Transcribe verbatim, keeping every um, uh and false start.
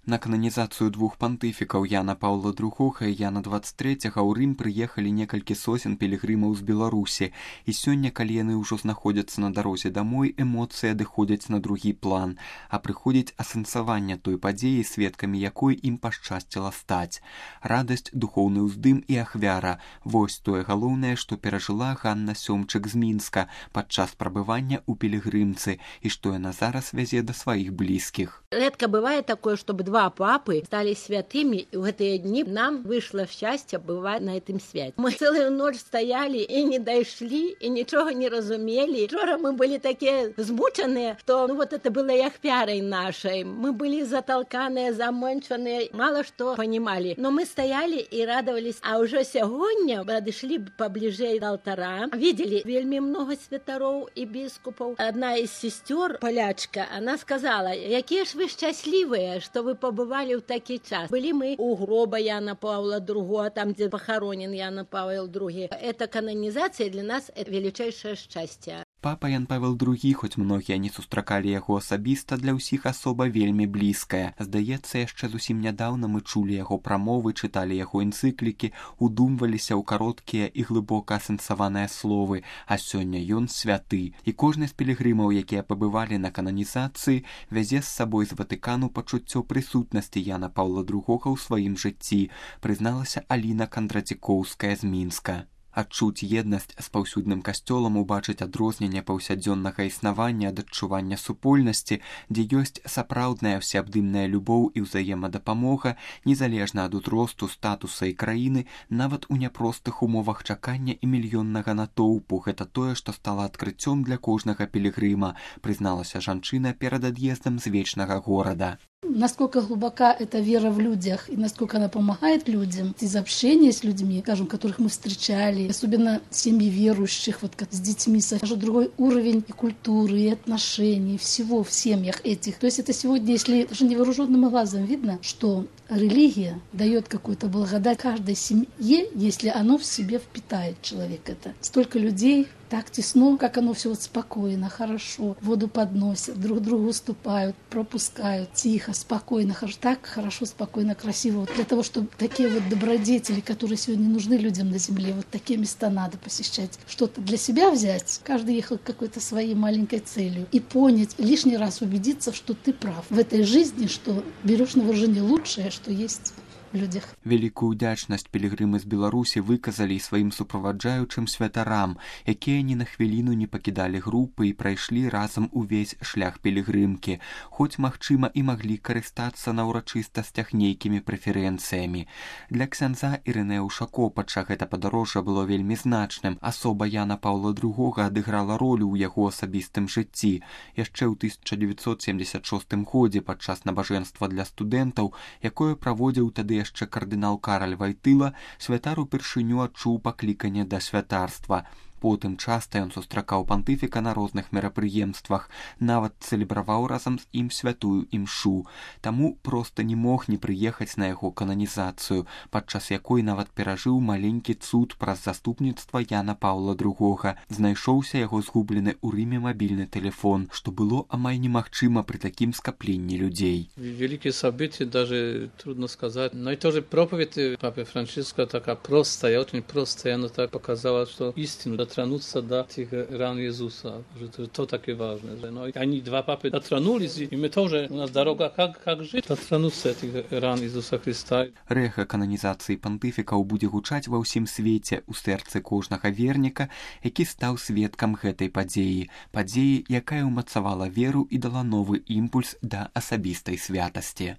На кананізацыю двух пантыфікаў Яна Паўла другога і Яна дваццаць трэцяга ў Рым прыехалі некалькі сотен пілігрымаў з Беларусі, і сёння, калі яны ўжо знаходзяцца на дарозе дамой, эмоцыі адыходзяць на другі план, а прыходзіць асэнсаванне той падзеі, сведкамі якой ім пашчасціла стаць. Радасць, духоўны ўздым і ахвяра – вось тое галоўнае, што перажыла Ганна Сёмчык з Мінска падчас прабывання ў пілігрымцы і што яна зараз вязе да сваіх блізкіх. Редко бывает такое, чтобы два папы стали святыми, и в эти дни нам вышло счастье бывать на этом святе. Мы целую ночь стояли и не дошли, и ничего не разумели. Вчера мы были такие змученные, что ну, вот это было и ахвярой нашей. Мы были затолканные, замонченные, мало что понимали. Но мы стояли и радовались. А уже сегодня подошли поближе до алтаря, видели вельми много святаров и бискупов. Одна из сестер, полячка, она сказала, какие ж вы счастливые, что вы побывали в такий час. Были мы у гроба Яна Павла другого, там, где похоронен Яна Павел другой. Эта канонизация для нас – это величайшее счастье. Папа Ян Павел другі, хоць многія не сустракалі яго асабіста, для ўсіх асоба вельмі блізкая. Здаецца, яшчэ зусім нядаўна мы чулі яго прамовы, чыталі яго энцыклікі, удумваліся ў кароткія і глыбока асэнсаваныя словы, а сёння ён святы. І кожны з пілігрымаў, якія пабывалі на кананізацыі, вязе з сабой з Ватыкану пачуццё прысутнасці Яна Паўла другога ў сваім жыцці, прызналася Аліна Кандратзікоўская з Мінска. Адчуць еднасць з паўсюдным касцёлам, убачыць адрозненне паўсядзённага існавання ад адчування супольнасці, дзе ёсць сапраўдная ўсеабдымная любоў і ўзаемадапамога, незалежна ад узросту, статуса і краіны, нават у няпростых умовах чакання і мільённага натоўпу. Гэта тое, што стала адкрыццём для кожнага пілігрыма, прызналася жанчына перад ад'ездам з вечнага горада. Насколько глубока эта вера в людях и насколько она помогает людям из общения с людьми, скажем, которых мы встречали, особенно семьи верующих, вот как с детьми, скажем, другой уровень и культуры, и отношений, всего в семьях этих. То есть это сегодня, если даже невооруженным глазом видно, что религия дает какую-то благодать каждой семье, если оно в себе впитает человек это. Столько людей, так тесно, как оно все вот спокойно, хорошо, воду подносят, друг другу уступают, пропускают, тихо, спокойно, хорошо, так хорошо, спокойно, красиво. Вот для того, чтобы такие вот добродетели, которые сегодня нужны людям на земле, вот такие места надо посещать, что-то для себя взять, каждый ехал к какой-то своей маленькой целью, и понять, лишний раз убедиться, что ты прав в этой жизни, что берешь на вооружение лучшее, что есть в людях. Вялікую ўдзячнасць пілігрымы з Беларусі выказалі сваім суправаджаючым святарам, якія ні на хвіліну не пакідалі групы і прайшлі разам увесь шлях пілігрымкі, хоць, магчыма, і маглі карыстацца на ўрачыстасцях нейкімі прэферэнцыямі. Для ксяндза Ірынея Ушакопача гэта падарожжа было вельмі значным. Асоба Яна Паўла другога адыграла ролю ў яго асабістым жыцці. Яшчэ ў тысяча дзевяцьсот семдзесят шостым годзе падчас набажэнства для студэнтаў, якое праводзіў тады яшчэ кардынал Караль Вайтыла, святар упершыню адчуў пакліканне да святарства. Потым часта ён сустракаў пантыфіка на розных мерапрыемствах, нават цэлебраваў разам з ім святую імшу. Таму проста не мог не прыехаць на яго кананізацыю, падчас якой нават перажыў маленькі цуд праз заступніцтва Яна Паўла другога. Знайшоўся яго згублены ў Рыме мабільны тэлефон, што было амаль немагчыма пры такім скапленні людзей. Великие события, даже трудно сказать. Но и тоже проповедь папы Франциска такая простая, очень простая. Она так показала, что истину дотронуться до этих ран Иисуса. Что то так и важно. Но они, два папы, дотронулись, и мы тоже, у нас дорога, как, как жить, дотронуться этих ран Иисуса Христа. Рэха кананізацыі пантыфікаў будзе гучаць ва ўсім свеце, у сэрцы кожнага верніка, які стаў сведкам гэтай падзеі. Падзеі, якая ўмацавала веру і дала новы імпульс да асабістай святасці.